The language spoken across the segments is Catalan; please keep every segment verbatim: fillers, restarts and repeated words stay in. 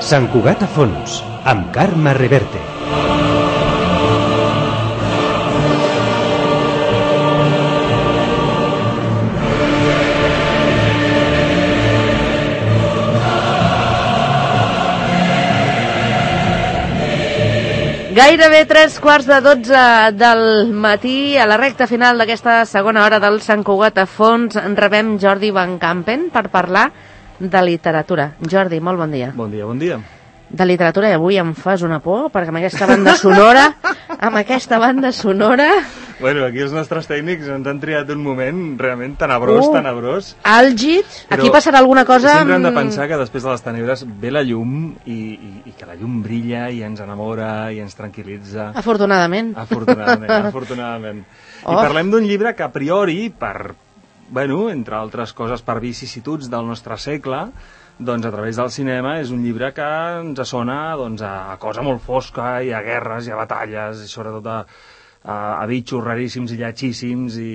Sant Cugat a fons, amb Carme Reverte. Gairebé tres quarts de dotze del matí, a la recta final d'aquesta segona hora del Sant Cugat a fons, rebem Jordi Van Campen per parlar de literatura. Jordi, molt bon dia. Bon dia, bon dia. De literatura, i avui em fas una por, perquè amb aquesta banda sonora, amb aquesta banda sonora... Bueno, aquí els nostres tècnics ens han triat un moment realment tenebrós, uh, tenebrós. Àlgid, aquí passarà alguna cosa... Sempre hem de pensar que després de les tenebres ve la llum i, i, i que la llum brilla i ens enamora i ens tranquil·litza. Afortunadament. Afortunadament, afortunadament. Oh. I parlem d'un llibre que a priori, per, bueno, entre altres coses, per vicissituds del nostre segle, doncs a través del cinema és un llibre que ens sona doncs, a cosa molt fosca i a guerres i a batalles i sobretot a, a, a bitxos raríssims i lletgíssims i,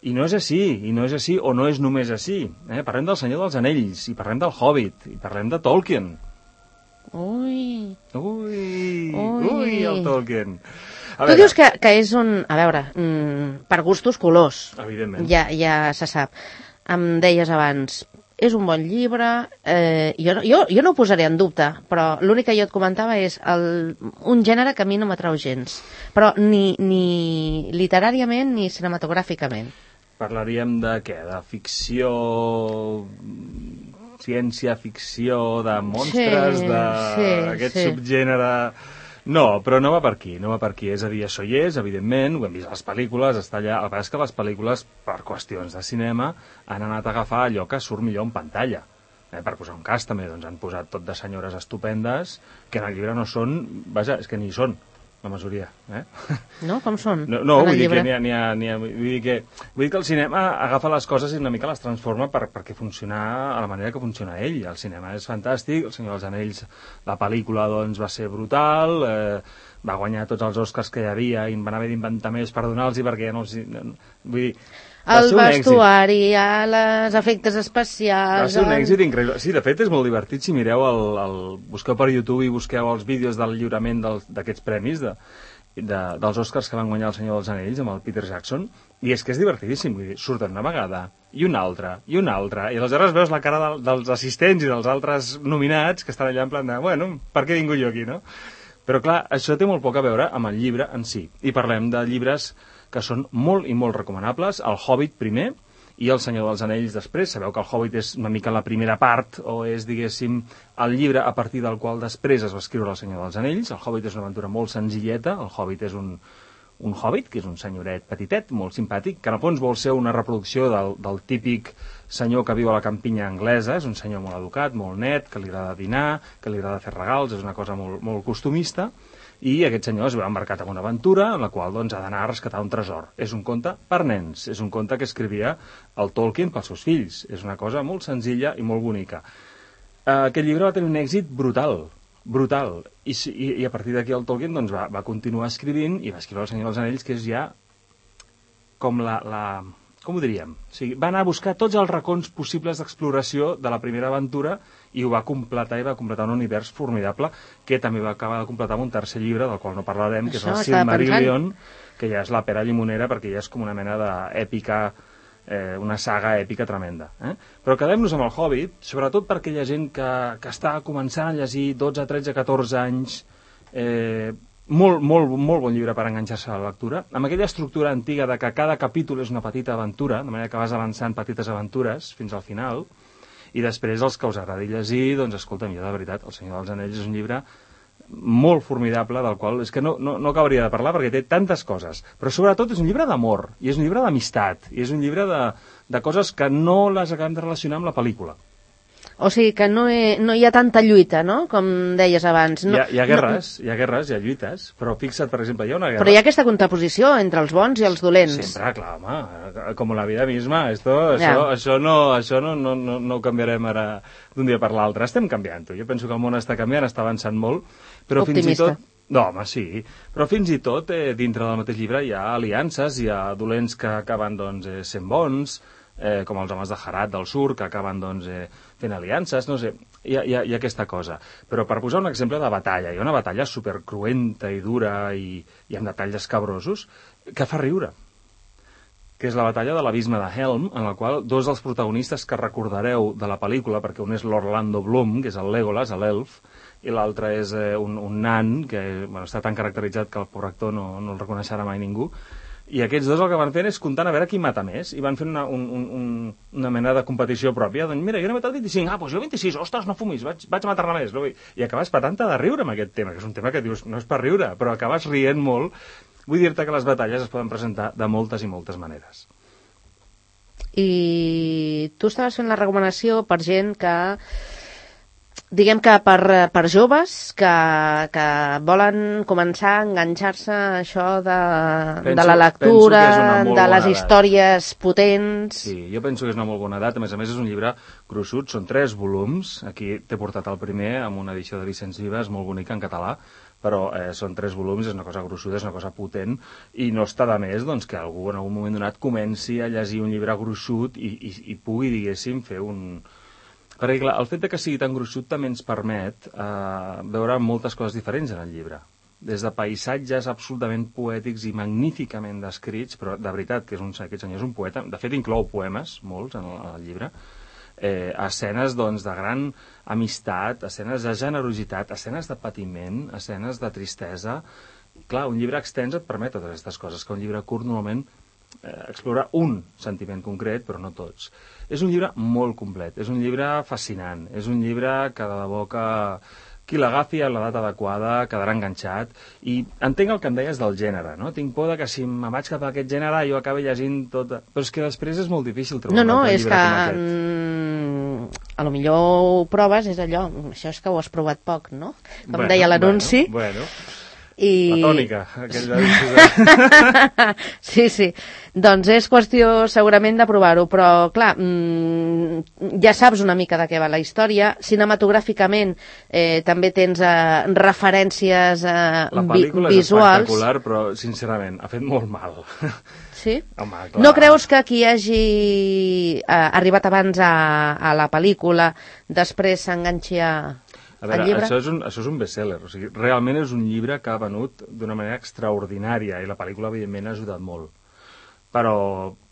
i no és així, i no és així o no és només així. Eh? Parlem del Senyor dels Anells i parlem del Hobbit i parlem de Tolkien. Ui... Ui... Ui, ui el Tolkien. A tu veure, dius que, que és un... A veure, mm, per gustos colors. Evidentment. Ja, ja se sap. Em deies abans... És un bon llibre, eh, jo, jo, jo no ho posaré en dubte, però l'únic que jo et comentava és el, un gènere que a mi no m'atrau gens, però ni, ni literàriament ni cinematogràficament. Parlaríem de què? De ficció, ciència-ficció, de monstres, sí, d'aquest sí, sí. subgènere... No, però no va per aquí, no va per aquí. És a dir, això hi és, evidentment, ho hem vist a les pel·lícules, està allà. El que és que les pel·lícules, per qüestions de cinema, han anat a agafar allò que surt millor en pantalla. Eh, per posar un cas, també, doncs han posat tot de senyores estupendes, que en el llibre no són... Vaja, és que ni hi són, la majoria. Eh? No? Com són? No, no vull dir que n'hi ha... N'hi ha, n'hi ha vull, dir que, vull dir que el cinema agafa les coses i una mica les transforma per, perquè funcionar a la manera que funciona ell. El cinema és fantàstic, El Senyor dels Anells, la pel·lícula doncs, va ser brutal, eh, va guanyar tots els Oscars que hi havia i van haver d'inventar més per donar-los perquè ja no els... Vull dir... El vestuari, els efectes especials... Va ser un èxit increïble. Sí, de fet, és molt divertit si mireu el... el busqueu per YouTube i busqueu els vídeos del lliurament d'aquests premis, de, de, dels Oscars que van guanyar El Senyor dels Anells amb el Peter Jackson, i és que és divertidíssim. Vull dir, surten una vegada, i una altra, i una altra, i aleshores veus la cara de, dels assistents i dels altres nominats que estan allà en plan de, bueno, per què vingut jo aquí, no? Però clar, això té molt poc a veure amb el llibre en si. I parlem de llibres que són molt i molt recomanables, el Hobbit primer i el Senyor dels Anells després. Sabeu que el Hobbit és una mica la primera part, o és, diguéssim, el llibre a partir del qual després es va escriure el Senyor dels Anells. El Hobbit és una aventura molt senzilleta, el Hobbit és un, un hobbit, que és un senyoret petitet, molt simpàtic, que en el fons vol ser una reproducció del, del típic senyor que viu a la campinya anglesa, és un senyor molt educat, molt net, que li agrada dinar, que li agrada fer regals, és una cosa molt, molt costumista, i aquest senyor es veu embarcat en una aventura en la qual doncs, ha d'anar a rescatar un tresor. És un conte per nens, és un conte que escrivia el Tolkien pels seus fills. És una cosa molt senzilla i molt bonica. Uh, aquest llibre va tenir un èxit brutal, brutal. I, i, i a partir d'aquí el Tolkien doncs, va, va continuar escrivint i va escriure El Senyor dels Anells, que és ja com la... la com ho diríem? O sigui, va anar a buscar tots els racons possibles d'exploració de la primera aventura i ho va completar i va completar un univers formidable que també va acabar de completar amb un tercer llibre del qual no parlarem, que és el Silmarillion, que ja és la pera llimonera perquè ja és com una mena d'èpica, eh, una saga èpica tremenda. Eh? Però quedem-nos amb el Hobbit, sobretot per aquella gent que, que està començant a llegir dotze, tretze, catorze anys, eh, molt, molt, molt bon llibre per enganxar-se a la lectura, amb aquella estructura antiga de que cada capítol és una petita aventura, de manera que vas avançant petites aventures fins al final, i després els que us agradi llegir, doncs escolta'm, jo de veritat, El Senyor dels Anells és un llibre molt formidable, del qual és que no, no, no acabaria de parlar perquè té tantes coses, però sobretot és un llibre d'amor, i és un llibre d'amistat, i és un llibre de, de coses que no les acabem de relacionar amb la pel·lícula. O sigui que no, he, no hi ha tanta lluita, no?, com deies abans. No, hi, ha, hi ha guerres, no... hi ha guerres, hi ha lluites, però fixa't, per exemple, hi ha una guerra... Però hi ha aquesta contraposició entre els bons i els dolents. Sempre, clar, home, com la vida misma, esto, això, ja. això, no, això no, no, no, no ho canviarem ara d'un dia per l'altre. Estem canviant-ho, jo penso que el món està canviant, està avançant molt, però Optimista. fins i tot... No, home, sí, però fins i tot eh, dintre del mateix llibre hi ha aliances, hi ha dolents que acaben doncs, eh, sent bons, eh, com els homes de Herat del Sur, que acaben doncs, eh, fent aliances, no sé, hi ha, hi, ha, hi ha aquesta cosa. Però per posar un exemple de batalla, hi ha una batalla supercruenta i dura i, i amb detalls escabrosos que fa riure, que és la batalla de l'abisme de Helm, en la qual dos dels protagonistes que recordareu de la pel·lícula, perquè un és l'Orlando Bloom, que és el Legolas, l'elf, i l'altre és eh, un, un nan, que bueno, està tan caracteritzat que el pobre actor no, no el reconeixerà mai ningú, i aquests dos el que van fent és comptant a veure qui mata més, i van fent una, un, un, una mena de competició pròpia, doncs mira, jo n'he matat vint-i-cinc, ah, doncs jo vint-i-sis, ostres, no fumis, vaig, vaig matar-ne més, no? I acabes patant-te de riure amb aquest tema, que és un tema que dius, no és per riure, però acabes rient molt. Vull dir-te que les batalles es poden presentar de moltes i moltes maneres. I tu estaves fent la recomanació per gent que, diguem que per, per joves que, que volen començar a enganxar-se a això de, penso, de la lectura, de les històries potents... Sí, jo penso que és una molt bona edat. A més a més, és un llibre gruixut, són tres volums. Aquí t'he portat el primer, amb una edició de Vicenç Vives, molt bonica en català, però eh, són tres volums, és una cosa gruixuda, és una cosa potent, i no està de més doncs, que algú en algun moment donat comenci a llegir un llibre gruixut i, i, i pugui, diguéssim, fer un... Perquè, clar, el fet de que sigui tan gruixut també ens permet eh, veure moltes coses diferents en el llibre. Des de paisatges absolutament poètics i magníficament descrits, però de veritat que és un, aquest senyor és un poeta, de fet inclou poemes, molts, en el, en el llibre, eh, escenes doncs, de gran amistat, escenes de generositat, escenes de patiment, escenes de tristesa. Clar, un llibre extens et permet totes aquestes coses, que un llibre curt normalment eh, explora un sentiment concret, però no tots. És un llibre molt complet, és un llibre fascinant, és un llibre que de debò que qui l'agafi a l'edat adequada quedarà enganxat, i entenc el que em deies del gènere, no? Tinc por de que si em vaig cap a aquest gènere jo acabi llegint tot... Però és que després és molt difícil trobar no, no, un altre és llibre que, com aquest. Mm, a lo millor ho proves, és allò, això és que ho has provat poc, no? Com bueno, deia l'anunci. Bueno, bueno. I... La tònica. De... sí, sí. Doncs és qüestió segurament de provar-ho, però clar, mmm, ja saps una mica de què va la història. Cinematogràficament eh, també tens eh, referències eh, vi- visuals. La pel·lícula és espectacular, però sincerament ha fet molt mal. Sí? Home, clar. No creus que qui hagi eh, arribat abans a, a la pel·lícula després s'enganxi a... A veure, això és un, això és un best-seller, o sigui, realment és un llibre que ha venut d'una manera extraordinària i la pel·lícula, evidentment, ha ajudat molt. Però,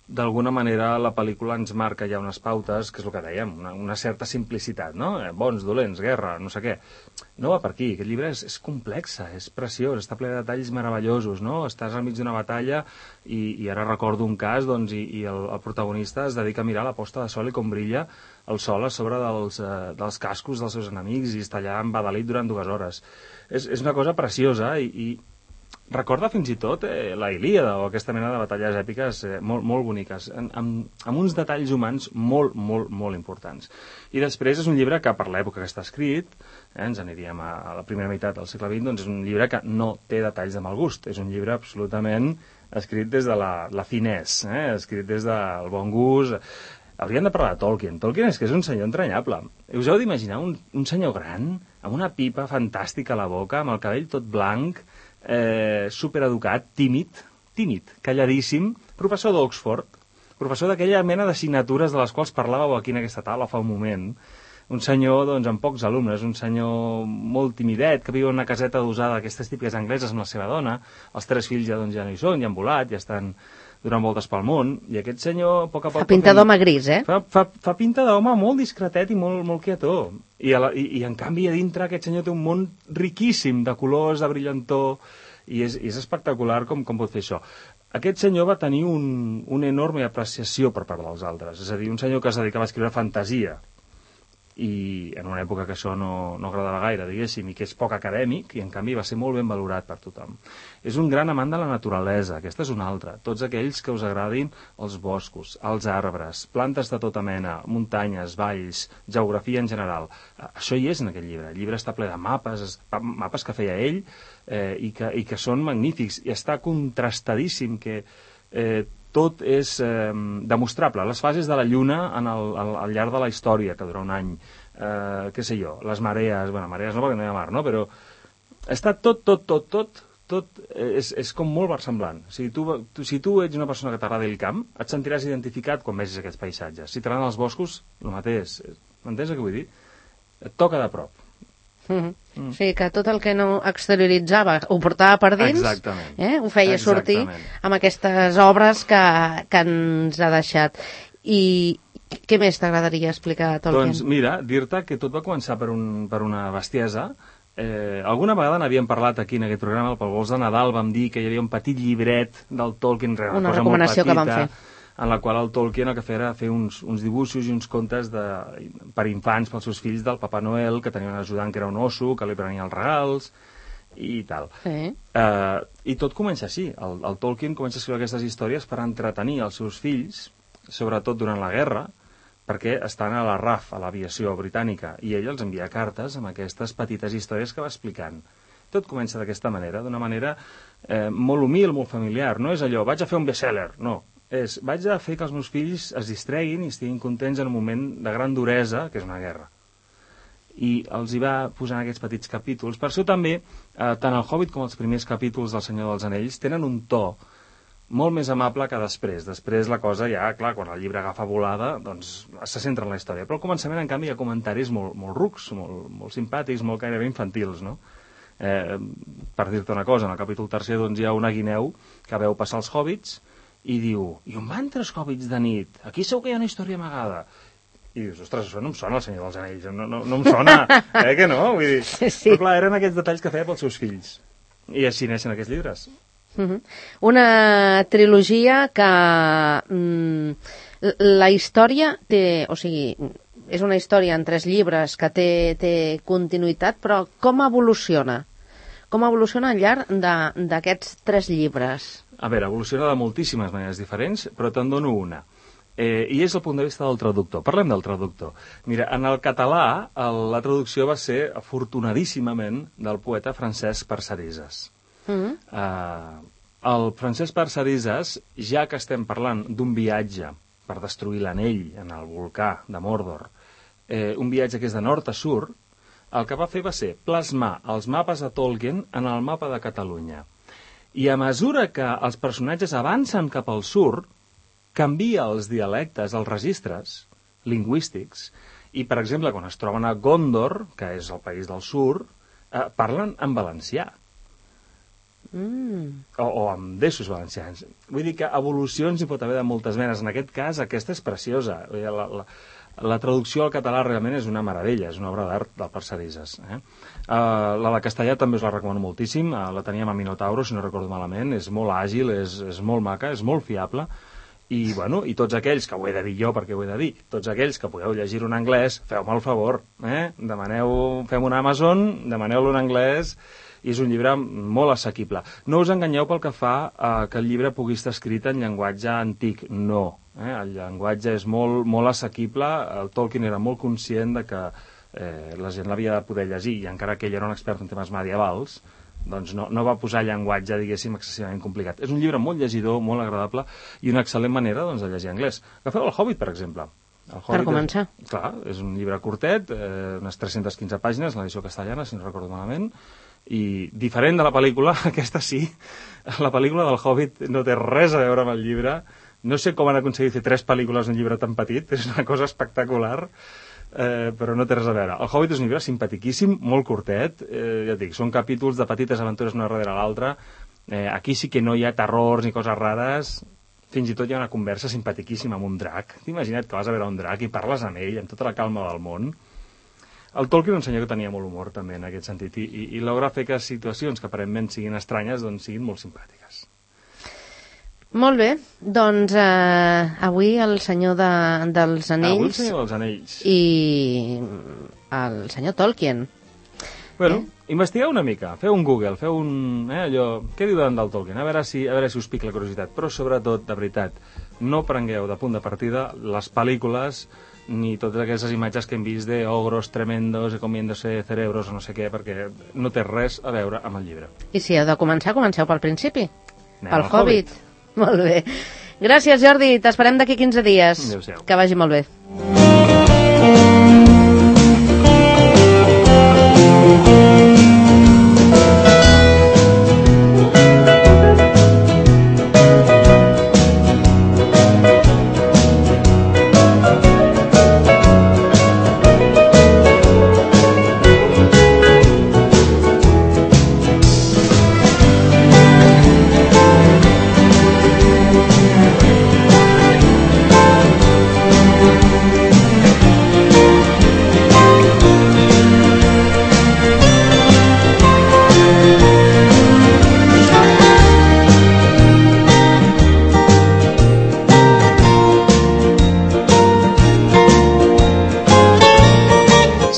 d'alguna manera, la pel·lícula ens marca ja unes pautes, que és el que dèiem, una, una certa simplicitat, no? Eh, bons, dolents, guerra, no sé què. No va per aquí, aquest llibre és, és complexa, és preciós, està ple de detalls meravellosos, no? Estàs al mig d'una batalla i, i ara recordo un cas, doncs, i, i el, el protagonista es dedica a mirar la posta de sol i com brilla el sol a sobre dels, eh, dels cascos dels seus enemics i està allà embadalit durant dues hores. És, és una cosa preciosa i, i recorda fins i tot eh, la Ilíada o aquesta mena de batalles èpiques eh, molt, molt boniques, amb, amb, amb uns detalls humans molt, molt, molt importants. I després és un llibre que per l'època que està escrit, eh, ens aniríem a, a la primera meitat del segle vint, doncs és un llibre que no té detalls de mal gust, és un llibre absolutament escrit des de la, la finesse, eh, escrit des del bon gust. Hauríem de parlar de Tolkien. Tolkien és que és un senyor entranyable. Us heu d'imaginar un, un senyor gran, amb una pipa fantàstica a la boca, amb el cabell tot blanc, eh, supereducat, tímid, tímid, calladíssim, professor d'Oxford, professor d'aquella mena d'assignatures de les quals parlàveu aquí en aquesta taula fa un moment. Un senyor, doncs, amb pocs alumnes, un senyor molt timidet, que viu en una caseta d'usada d'aquestes típiques angleses amb la seva dona. Els tres fills ja, doncs, ja no hi són, ja han volat, ja estan donant voltes pel món, i aquest senyor, a poc a poc... Fa pinta d'home gris, eh? Fa, fa, fa pinta d'home molt discretet i molt, molt quietó. I, a la, i, I, en canvi, a dintre aquest senyor té un món riquíssim de colors, de brillantor, i és, és espectacular com, com pot fer això. Aquest senyor va tenir un, una enorme apreciació per part dels altres, és a dir, un senyor que es dedicava a escriure fantasia, i en una època que això no, no agradava gaire, diguéssim, i que és poc acadèmic, i en canvi va ser molt ben valorat per tothom. És un gran amant de la naturalesa, aquesta és una altra. Tots aquells que us agradin els boscos, els arbres, plantes de tota mena, muntanyes, valls, geografia en general. Això hi és en aquest llibre. El llibre està ple de mapes, mapes que feia ell, eh, i, que, i que són magnífics, i està contrastadíssim, que eh, tot és eh, demostrable. Les fases de la Lluna en el, al, al llarg de la història, que dura un any, eh, què sé jo, les marees, bueno, marees no perquè no hi ha mar, no? Però està tot, tot, tot, tot tot és, és com molt versemblant. O sigui, tu, tu, si tu ets una persona que t'agrada el camp, et sentiràs identificat quan vegis aquests paisatges. Si t'agraden els boscos, el mateix. M'entens el que vull dir? Et toca de prop. Mm-hmm. Mm. O sigui que tot el que no exterioritzava ho portava per dins, eh? Ho feia sortir amb aquestes obres que, que ens ha deixat. I què més t'agradaria explicar, Tolkien? Doncs mira, dir-te que tot va començar per, un, per una bestiesa. Eh, alguna vegada n'havíem parlat aquí en aquest programa, pel Vols de Nadal vam dir que hi havia un petit llibret del Tolkien, una, una cosa recomanació molt petita, que vam fer, en la qual el Tolkien el que feia era fer uns, uns dibuixos i uns contes de, per infants, pels seus fills, del Papa Noel, que tenia un ajudant que era un osso, que li prenia els regals i tal. Sí. Eh, I tot comença així. El, el Tolkien comença a escriure aquestes històries per entretenir els seus fills, sobretot durant la guerra, perquè estan a la R A F, a l'aviació britànica, i ell els envia cartes amb aquestes petites històries que va explicant. Tot comença d'aquesta manera, d'una manera eh, molt humil, molt familiar. No és allò, vaig a fer un bestseller, no. És, vaig a fer que els meus fills es distreguin i estiguin contents en un moment de gran duresa, que és una guerra. I els hi va posant aquests petits capítols. Per això també, eh, tant el Hobbit com els primers capítols del Senyor dels Anells tenen un to molt més amable que després. Després la cosa ja, clar, quan el llibre agafa volada, doncs se centra en la història. Però al començament, en canvi, hi ha comentaris molt, molt rucs, molt, molt simpàtics, molt gairebé infantils, no? Eh, per dir-te una cosa, en el capítol tercer doncs, hi ha una guineu que veu passar els hobbits i diu, i on van tres hobbits de nit? Aquí segur que hi ha una història amagada. I dius, ostres, això no em sona el Senyor dels Anells, no, no, no em sona, eh que no? Vull dir, sí, sí. Però clar, eren aquests detalls que feia pels seus fills. I així neixen aquests llibres. Uh-huh. Una trilogia que mm, la història té, o sigui, és una història en tres llibres que té, té continuïtat, però com evoluciona? Com evoluciona al llarg d'aquests tres llibres? A veure, evoluciona de moltíssimes maneres diferents, però te'n dono una. Eh, I és el punt de vista del traductor. Parlem del traductor. Mira, en el català el, la traducció va ser, afortunadíssimament, del poeta Francesc Parcerisas. Mm-hmm. Uh, el Francesc Parcerisas, ja que estem parlant d'un viatge per destruir l'anell en el volcà de Mordor, eh, un viatge que és de nord a sud, el que va fer va ser plasmar els mapes de Tolkien en el mapa de Catalunya. I a mesura que els personatges avancen cap al sud, canvia els dialectes, els registres lingüístics, i, per exemple, quan es troben a Gondor, que és el país del sud, eh, parlen en valencià. Mm. O, o amb deixos valencians. Vull dir que evolucions hi pot haver de moltes menes. En aquest cas, aquesta és preciosa. La, la, la traducció al català realment és una meravella, és una obra d'art del Parcerisas. Eh? Uh, la de castellà també us la recomano moltíssim. Uh, la teníem a Minotauro, si no recordo malament. És molt àgil, és, és molt maca, és molt fiable. I, bueno, i tots aquells, que ho he de dir jo perquè ho he de dir, tots aquells que podeu llegir-ho en anglès, feu-me el favor, eh? Demaneu, fem un Amazon, demaneu-lo en anglès, i és un llibre molt assequible. No us enganyeu pel que fa a que el llibre pugui estar escrit en llenguatge antic, no. Eh? El llenguatge és molt, molt assequible, el Tolkien era molt conscient de que eh, la gent l'havia de poder llegir, i encara que ell era un expert en temes medievals, doncs no, no va posar llenguatge, diguéssim, excessivament complicat. És un llibre molt llegidor, molt agradable, i una excel·lent manera doncs, de llegir anglès. Agafeu el Hobbit, per exemple. El Hobbit per començar. És, clar, és un llibre curtet, eh, unes tres-centes quinze pàgines, l'edició castellana, si no recordo malament, i diferent de la pel·lícula, aquesta sí, la pel·lícula del Hobbit no té res a veure amb el llibre. No sé com han aconseguit fer tres pel·lícules en un llibre tan petit, és una cosa espectacular. Eh, però no té res a veure. El Hobbit és un llibre simpatiquíssim, molt curtet, eh, ja et dic, són capítols de petites aventures una darrere l'altra. Eh, aquí sí que no hi ha terrors ni coses rares, fins i tot hi ha una conversa simpatiquíssima amb un drac. T'imagina't que vas a veure un drac i parles amb ell amb tota la calma del món. El Tolkien un senyor que tenia molt humor també en aquest sentit, i, i, i logra fer que situacions que aparentment siguin estranyes doncs siguin molt simpàtiques. Molt bé, doncs eh, avui el senyor de, dels Anells... Avui el senyor dels Anells. I el senyor Tolkien. Bueno, eh? Investigueu una mica, feu un Google, feu un... Eh, allò, què diu del Tolkien? A veure, si, a veure si us pica la curiositat. Però sobretot, de veritat, no prengueu de punt de partida les pel·lícules ni totes aquestes imatges que hem vist de ogros tremendos i comiéndose cerebros o no sé què, perquè no té res a veure amb el llibre. I si heu de començar, comenceu pel principi. Anem pel Hobbit. Hobbit. Molt bé. Gràcies, Jordi. T'esperem d'aquí quinze dies. Adéu-siau. Que vagi molt bé.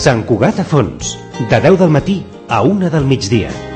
Sant Cugat a Fons, de deu del matí a una del migdia.